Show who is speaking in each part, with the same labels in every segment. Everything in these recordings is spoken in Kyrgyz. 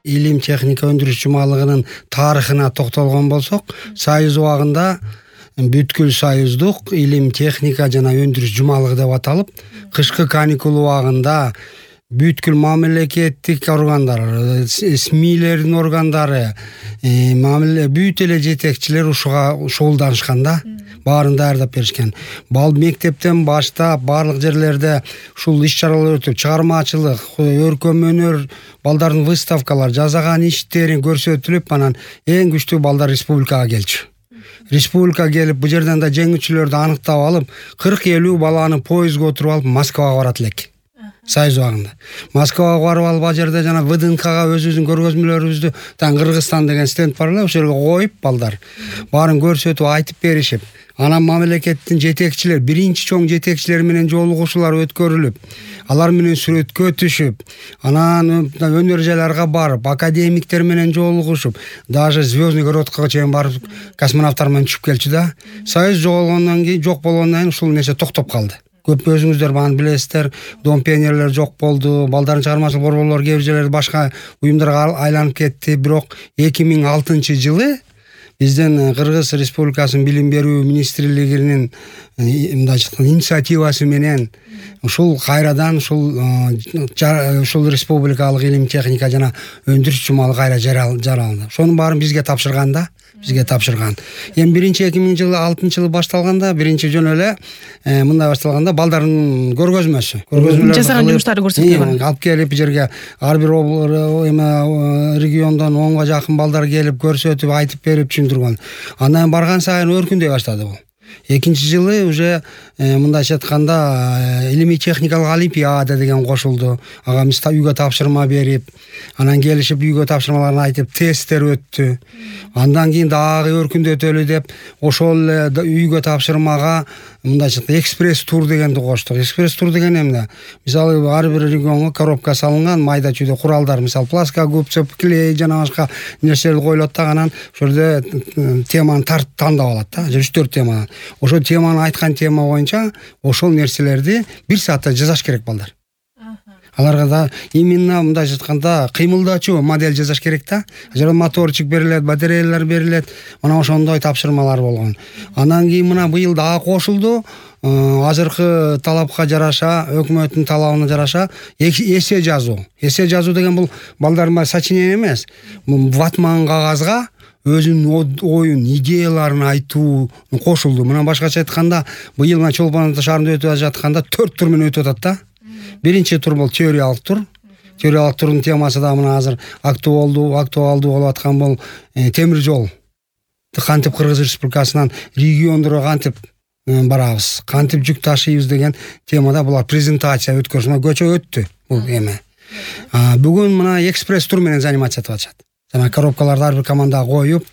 Speaker 1: илим техника өндүрүш жумалыгынын тарыхына токтолгон болсок, Союз убагында бүткүл союздук илим техника жана өндүрүш жумалыгы деп аталып, кышкы каникул убагында бүткүл мамлекеттик органдар, СМИлердин органдары, бүт эле жетекчилер ушуга шогулданышканда баарын даярдап беришкен. Мектептен баштап баардык жерлерде ушул иш-чаралар өтүп, чыгармачылык, өркөм өнөр, балдардын выставкалар, жасаган иштерин көрсөтүлүп, анан эң күчтүү балдар республикага келчү. Республика келип, бу жерден да жеңүүчүлөрдү аныктап алып, 40-50 баланы поездге отуруп алып Москвага барат элек. Союз убагында. Москвага барып алып, ал жерде жана ВДНХга өзүбүздүн көргөзмөлөрүбүздү, Кыргызстан деген стенд бар эле, ошол жерге коюп балдар баарын көрсөтүп, айтып беришип, анан мамлекеттин жетекчилер, биринчи чоң жетекчилер менен жолугушуулар өткөрүлүп, алар менен сүрөткө түшүп, анан өнөр жайларга барып, академиктер менен жолугушуп, даже Звездный городко чейин барып, космонавттар менен түшүп келчү да. Союз жок болгондон кийин ушул нерсе токтоп калды. Көп өзүңүздөр бааны билесиздер, Дом пионерлер жок болду, балдардын чыгармачылык борборлору кээ бир жерлерде башка уюмдарга айланып кетти. Бирок 2006-жылы биздин Кыргыз Республикасынын билим берүү министрлигинин инициативасы менен ушул кайрадан ушул республикалык илим техника жана өндүрүш жумалыгы кайра жаралды. Ошонун баарын бизге тапшырган. Эми 2006-жылы башталганда, биринчи жөн эле мындай башталганда балдардын көргөзмөсү.
Speaker 2: Жасаган жумуштарды көрсөтүп
Speaker 1: алып келип жерге ар бир региондон 10га жакын балдар келип көрсөтүп, айтып берип түшүндүргөн. Андан барган сайын өркүндөй баштады бул. Экинчи жылы уже мындайча айтканда илимий техникалык олимпиада деген кошулду. Ага биз үйгө тапшырма берип, анан келишип үйгө тапшырмаларын айтып, тесттер өттү. Андан кийин дагы өркүндөтөлү деп, ошол эле үйгө тапшырмага мындайча экспресс тур дегенди коштук. Экспресс тур деген эмне? Мисалы ар бир регионго коробка салынган майда чүйдө куралдар, мисалы пластика, губча, клей жана башка нерселер коюлат да, анан ошол жерде теманы тандап алат да, 3-4 тема. Ошол теманы айткан тема боюнча ошол нерселерди 1 саатта жасаш керек балдар. Аларга да именно мындай айтканда кыймылдачу модель жасаш керек да. Жана моторчик берилет, батареялар берилет. Мына ошондой тапшырмалар болгон. Анан кийин мына быйыл дагы кошулду. Азыркы талапка жараша, өкмөттүн талабына жараша эссе жазуу. Эссе жазуу деген бул балдарга сочинение эмес. Ватман кагазга өзүнүн оюн, идеяларын айтуу кошулду. Мына башкача айтканда, быйыл мына Чолпон Ата шаарында өтүп жатканда 4 тур менен өтүп атат да. Биринчи тур бул теориялык тур. Теориялык турдун темасы да мына азыр актуалдуу болуп аткан бул темир жол. Кантип Кыргыз Республикасынан региондорго кантип барабыз, кантип жүк ташыйбыз деген темада булар презентация өткөрүшмө көчө өттү бул эме. Бүгүн мына экспресс тур менен заниматься этип атышат. Жана коробкаларды ар бир командага коюп,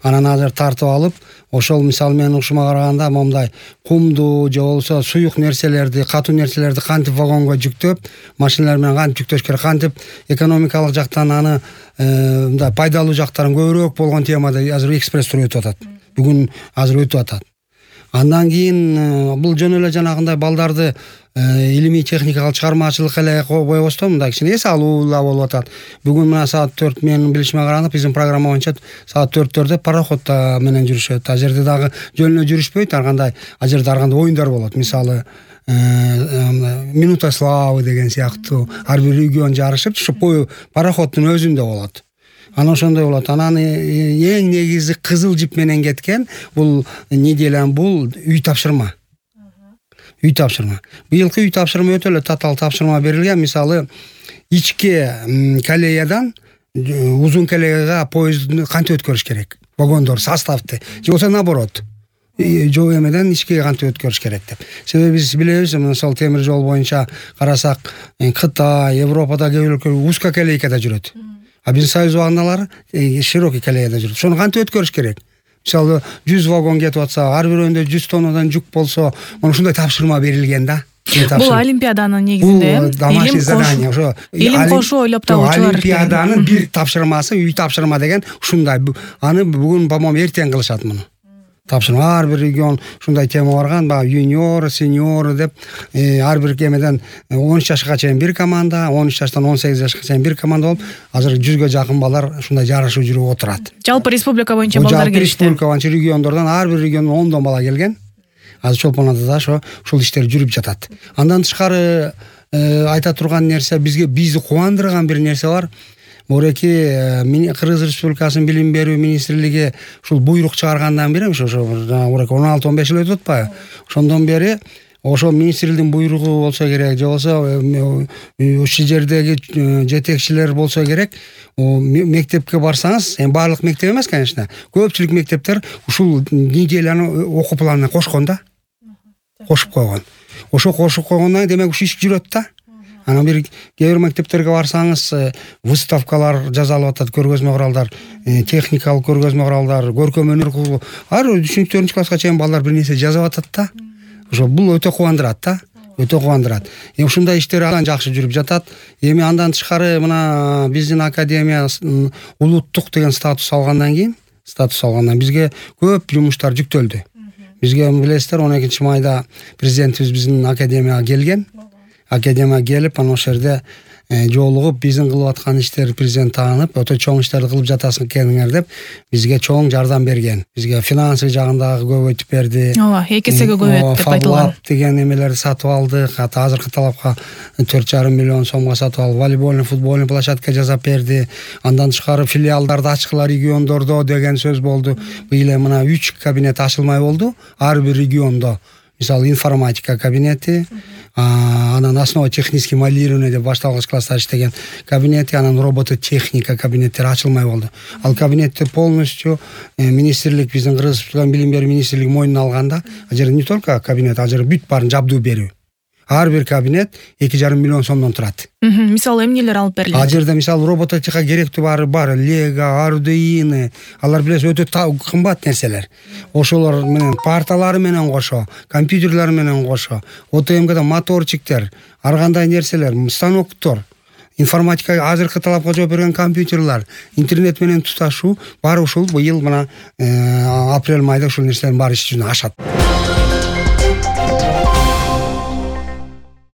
Speaker 1: анан азыр тартып алып, ошол мисалы менен ушума караганда момундай кумду же болбосо суюк нерселерди, катуу нерселерди кантип вагонго жүктөп, машиналар менен кантип жүктөш керек, кантип экономикалык жактан аны мындай пайдалуу жактарын көбүрөөк болгон темада азыр экспресс тур өтүп атат. Бүгүн азыр өтүп атат. Андан кийин бул жөн эле жанагындай балдарды илимий техникалык чыгармачылык эле койбостон мындай кичине эс алуула болуп атат. Бүгүн мына саат 4 менин билишиме караганда биздин программа боюнча саат 4-төрдө пароходто менен жүрүшөт. А жерде дагы жөн эле жүрүшпөйт, ар кандай жерде ар кандай оюндар болот. Мисалы минута славы деген сыяктуу ар бир регион жарышып, ушу пароходдун өзүндө болот. Анан ошондой болот. Анан эң негизи кызыл жип менен кеткен бул неделян бул үй тапшырма. Үй тапшырма. Быйылкы үй тапшырма өтө эле татаал тапшырма берилген. Мисалы ички колеядан узун колеяга поездду кантип өткөрүш керек? Вагондор, составды. Же болбосо наоборот. Жол эмеден ичкиге кантип өткөрүш керек деп. Себеби биз билебиз, мисалы темир жол боюнча карасак, Кытай, Европада кээ бир өлкөлөр узкоколейкада жүрөт. А биздин Союз убагындагылар широкий колеяда жүрөт. Ошону кантип өткөрүш керек? Мисалы 100 вагон кетип атса, ар бирөөндө 100 тоннадан жүк болсо, мына ушундай тапшырма берилген да.
Speaker 2: Бул олимпиаданын негизинде илим кошуу ойлоп табуучулар.
Speaker 1: Олимпиаданын бир тапшырмасы үй тапшырма деген ушундай. Аны бүгүн, по-моему, эртең кылышат муну. тапшырма. Ар бир регион ушундай тема барган, баягы юниор, сеньор деп ар бир кемеден 13 жашка чейин бир команда, 13 жаштан 18 жашка чейин бир команда болуп, азыр 100гө жакын балдар ушундай жарышуу жүрүп отурат.
Speaker 2: Жалпы республика боюнча балдар келишти.
Speaker 1: Республика боюнча региондордон ар бир региондон 10 бала келген. Азыр чолпонатта ушул иштер жүрүп жатат. Андан тышкары айта турган нерсе, бизди кубандырган бир нерсе бар. Мореки Кыргыз Республикасынын билим берүү министрлиги ушул буйрук чыгаргандан бери, ошо 16-15 жыл өтүп атпайбы? Ошондон бери ошо министрликтин буйругу болсо керек, же болбосо ушул жердеги жетекчилер болсо керек, мектепке барсаңыз, эми баардык мектеп эмес, конечно, көпчүлүк мектептер ушул неделяны окуу планына кошкон да. Кошуп койгон. Ошо кошуп койгондон кийин демек ушу иш жүрөт да. Анан кээ бир мектептерге барсаңыз, выставкалар жасалып атат, көргөзмө куралдар, техникалык көргөзмө куралдар, көркөм өнөр клубу. Ар 3-4 класска чейин балдар бир нерсе жазып атат да. Ошо бул өтө кубандырат да. Өтө кубандырат. Ушундай иштер андан жакшы жүрүп жатат. Эми андан тышкары мына биздин академия улуттук деген статус алгандан кийин, бизге көп жумуштар жүктөлдү. Бизге билесиздер, 12 майда президентибиз биздин академияга келген. Академия келип, анан ошол жерде жолугуп, биздин кылып аткан иштерди президент таанып, өтө чоң иштерди кылып жатасың экениңер деп бизге чоң жардам берген. Бизге финансовый жагындагы көбөйтүп берди.
Speaker 2: Ооба, 2 эсеге көбөйт деп айтылган.
Speaker 1: Деген эмелерди сатып алдык. Азыркы талапка 4,5 миллион сомго сатып алып, волейбольный, футбольный площадка жасап берди. Андан тышкары филиалдарды ачкыла региондордо деген сөз болду. Быйыл мына 3 кабинет ачылмай болду. Ар бир региондо. Мисалы, информатика кабинети, анан основа технический моделирование деп башталгыч класста иштеген кабинети, анан робототехника кабинеттери ачылмай болду. Ал кабинеттер полностью министрлик, биздин Кыргыз билим берүү министрлиги мойнуна алганда, ал жерде не только кабинет, ал жерде бүт баарын жабдуу берүү. Ар бир кабинет 2,5 миллион сомдон турат.
Speaker 2: Мисалы эмнелер алып берилет?
Speaker 1: Ал жерде мисалы робототехника керектүү бар, Lego, Arduino, алар билесиз өтө кымбат нерселер. Ошолор менен парталары менен кошо, компьютерлер менен кошо, ОТМГда моторчиктер, ар кандай нерселер, станоктор, информатика азыркы талапка жооп берген компьютерлер, интернет менен туташуу баары ушул быйыл мына апрель майда ушул нерселердин баары иш жүзүнө ашат.